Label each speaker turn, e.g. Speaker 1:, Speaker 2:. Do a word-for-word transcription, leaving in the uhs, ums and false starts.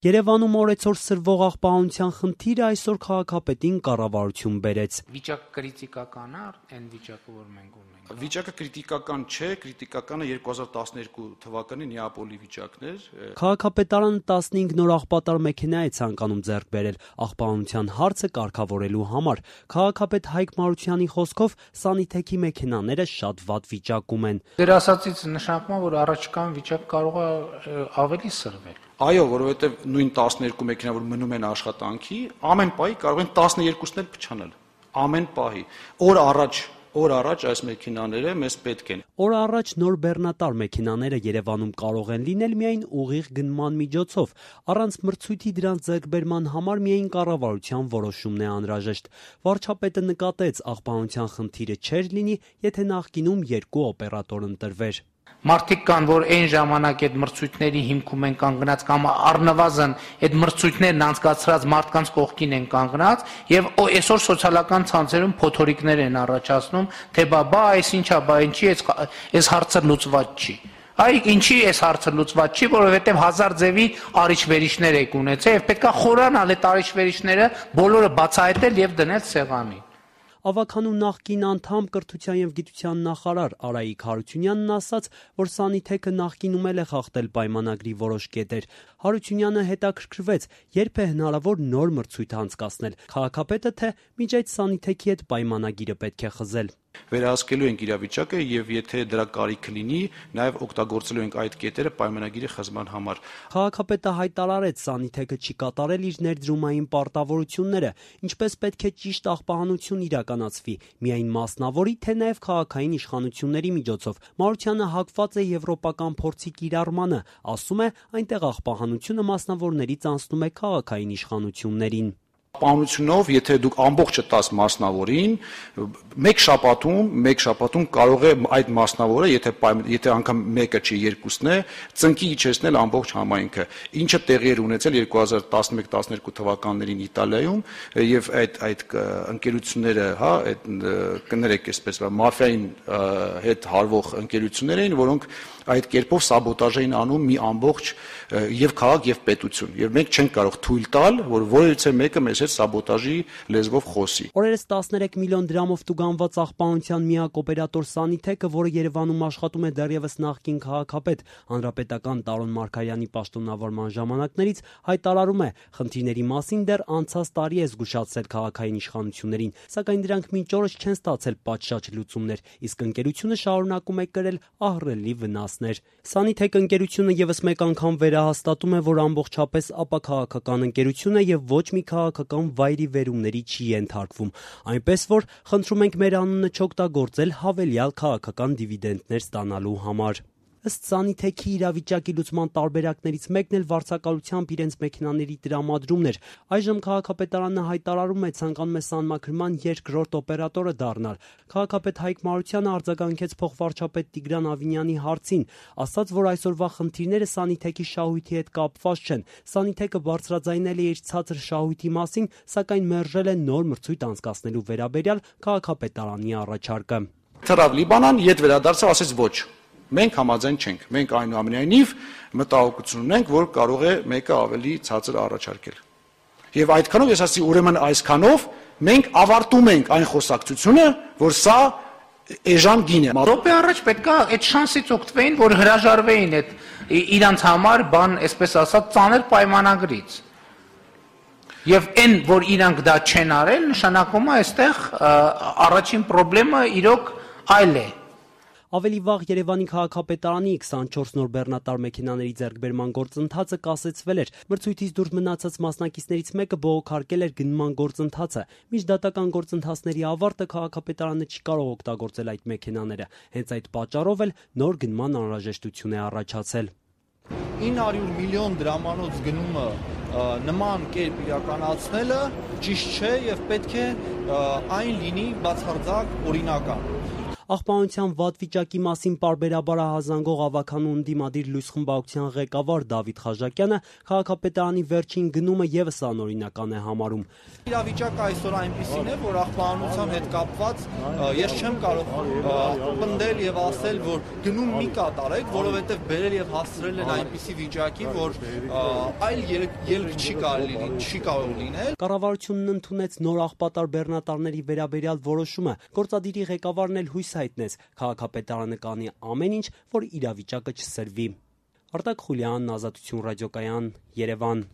Speaker 1: Երևանում օրեցօր սրվող աղբահանության խնդիրը այսօր քաղաքապետին կառավարություն բերեց։
Speaker 2: Վիճակը կրիտիկական է, այն վիճակը, որ մենք ունենք։
Speaker 3: Վիճակը կրիտիկական չէ, կրիտիկականը երկու հազար տասներկու թվականի Նեապոլի վիճակն էր։
Speaker 1: Քաղաքապետարանը տասնհինգ նոր աղբատար մեքենա է ցանկանում ձեռք բերել աղբահանության հարցը կարգավորելու համար։ Քաղաքապետ Հայկ Մարությանի խոսքով Սանիթեքի մեքենաները շատ վատ վիճակում են։
Speaker 2: Դեր ասածից նշանակում է, որ առաջիկան վիճակ կարող է ավելի սրվել։
Speaker 3: Այո, որովհետև նույն տասներկու մեքենա, որ մնում են աշխատանքի, ամեն պահի կարող են տասներկուսն էլ փչանալ։ Ամեն պահի։ Օր առաջ, օր առաջ այս մեքենաները մեզ պետք են։
Speaker 1: Օր առաջ նոր բեռնատար մեքենաները Երևանում կարող են լինել միայն ուղիղ գնման միջոցով, առանց մրցույթի դրանց ձեռքբերման համար միայն կառավարության որոշումն է անհրաժեշտ։ Վարչապետը նկատեց, աղբահանության խնդիրը չէր լինի, եթե նախկինում երկու օպերատոր ընտրվեր։
Speaker 2: Մարդիկ կան, որ այն ժամանակ այդ մրցույթների հիմքում են կանգնած կամ առնվազն այդ մրցույթներն անցկացրած մարդկանց կողքին են կանգնած եւ այսօր սոցիալական ցանցերում փոթորիկներ են առաջացնում, թե բա բա այս ինչա, բա ինչի այս հարցը լուծված չի։ Այ ինչի այս հարցը լուծված չի, որովհետեւ հազար ձևի արիչ-վերիչներ եք ունեցել եւ պետքա խորանալ այդ արիչ-վերիչները բոլորը բացահայտել եւ դնել սեղանի։
Speaker 1: Ավագանու նախկին անդամ կրթության եւ գիտության նախարար Արայիկ Հարությունյանն ասաց, որ Սանիթեքը նախկինում էլ է խախտել պայմանագրի որոշ կետեր։ Հարությունյանը հետաքրքրվեց, երբ է հնարավոր նոր մրցույթ անցկացնել։ Քաղաքապետը թե միջ այդ Սանիթեքի հետ պայմանագիրը պետք է խզել։
Speaker 3: Վերահսկելու ենք իրավիճակը եւ եթե դրա կարիք լինի, նաեւ օգտագործելու ենք այդ կետերը պայմանագիրի խզման համար։
Speaker 1: Քաղաքապետը հայտարարեց, Սանիթեքը չի կատարել իր ներդրումային պարտավորությունները, ինչպես պետք է ճիշտ աղբահանություն իրականացվի, միայն մասնավորի, թե նաեւ քաղաքային իշխանությունների միջոցով։ Մարությանը հակված է եվրոպական փորձի կիրառմանը, ասում է, այնտեղ աղբահանությունը մասնավորներից անցնում է քաղաքային իշխանություններին։
Speaker 3: Պահանությունով, եթե դուք ամբողջը տաս մասնավորին, մեկ շաբաթում, մեկ շաբաթում կարող է այդ մասնավորը, եթե եթե անգամ մեկը չի, երկուսն է, ծնկի իջեցնել ամբողջ համայնքը։ Ինչը տեղի էր ունեցել երկու հազար տասնմեկ տասներկու թվականներին Իտալիայում եւ այդ այդ ընկերությունները, հա, այդ կներեք այսպես, մաֆիային հետ հարվող ընկերություններ էին, որոնք այդ կերպով սաբոտաժ էին անում մի ամբողջ եւ քաղաք եւ պետություն։ Եվ մենք չենք կարող թույլ տալ, որ որևիցե մեկը մեզ հետ սաբոտաժի լեզվով խոսի։
Speaker 1: Օրերս տասներեք միլիոն դրամով տուգանված աղբահանության միակ օպերատոր Սանիթեքը, որը Երևանում աշխատում է դեռևս նախկին քաղաքապետ հանրապետական Տարոն Մարգարյանի պաշտոնավորման ժամանակներից, հայտարարում է, խնդիրների մասին դեռ անցած տարի է զգուշացրել քաղաքային իշխանություններին, սակայն դրանք մինչ օրս չեն ստացել պատշաճ լուծումներ, իսկ ընկերությունը շարունակում է կրել ահռելի վնասներ։ Սանիթեք ընկերությունը եւս մեկ անգամ վերահաստատում է, որ ամբողջապես ապաքաղաքական ընկերություն է եւ ոչ մի քաղաքական վայրի վերումների չի ենթարկվում, այնպես որ խնդրում ենք մեր անունը չօգտագործել հավելյալ քաղաքական դիվիդենդներ ստանալու համար։ Ըստ Սանիթեքի իրավիճակի լուծման տարբերակներից մեկն էլ վարձակալությամբ իրենց մեքենաների տրամադրումն էր։ Այժմ քաղաքապետարանը հայտարարում է, ցանկանում է սանմաքրման երկրորդ օպերատորը դառնալ։ Քաղաքապետ Հայկ Մարությանը արձագանքեց փոխվարչապետ Տիգրան Ավինյանի հարցին, ասաց, որ այսօրվա խնդիրները Սանիթեքի շահույթի հետ կապված չեն։ Սանիթեքը բարձրաձայնել է իր ցածր շահույթի մասին, սակայն մերժել է նոր մրցույթ անցկացնելու վերաբերյալ քաղաքապետարանի առաջարկը։
Speaker 3: Թռավ Լիբանան, ետ վերադարձավ, ասեց ոչ։ Մենք համաձայն չենք։ Մենք այնուամենայնիվ մտահոգություն ունենք, որ կարող է մեկը ավելի ցածր առաջարկել։ Եվ այդքանով ես ասացի, ուրեմն այսքանով մենք ավարտում ենք այն խոսակցությունը, որ սա էժան գին է։
Speaker 2: Րոպե առաջ պետքա այդ շանսից օգտվեին, որ հրաժարվեին այդ իրանց համար բան, այսպես ասած, ծանր պայմանագրից։ Եվ այն, որ իրանք դա չեն արել, նշանակում է այստեղ առաջին խնդրեմը իրոք այլ է։
Speaker 1: Ավելի վաղ Երևանի քաղաքապետարանի քսանչորս նոր բեռնատար մեքենաների ձեռքբերման գործընթացը կասեցվել էր։ Մրցույթից դուրս մնացած մասնակիցներից մեկը բողոքարկել էր գնման գործընթացը։ Միջդատական գործընթացների ավարտը քաղաքապետարանը չի կարող օգտագործել այդ մեքենաները։ Հենց այդ պատճառով էլ նոր գնման անհրաժեշտություն է առաջացել։
Speaker 4: ինը հարյուր միլիոն դրամանոց գնումը նման կերպ իրականացնելը ճիշտ չէ եւ պետք է այն լինի բացարձակ օրինական։
Speaker 1: Աղբանության վատ վիճակի մասին պարբերաբար ահազանգող ավագանու ընդդիմադիր լույս խմբակցության ղեկավար Դավիթ Խաժակյանը քաղաքապետարանի վերջին գնումը ևս անօրինական է համարում։
Speaker 4: Իրավիճակը այսօր այնպիսին է, որ աղբանության հետ կապված ես չեմ կարող պնդել եւ ասել, որ գնում մի կատարեք, որովհետեւ բերել եւ հասցրել են այնպիսի վիճակի, որ այլ ելք չի կարելի, չի կարող լինել։
Speaker 1: Կառավարությունն ընդունեց նոր աղբատար բեռնատարների վերաբերյալ որոշումը։ Գործադիրի ղեկավարն էլ հույս հայտնեց քաղաքապետարանը կանի ամեն ինչ, որ իրավիճակը չսրվի։ Արտակ Խուլյանն, Ազատություն ռադիոկայան, Երևան։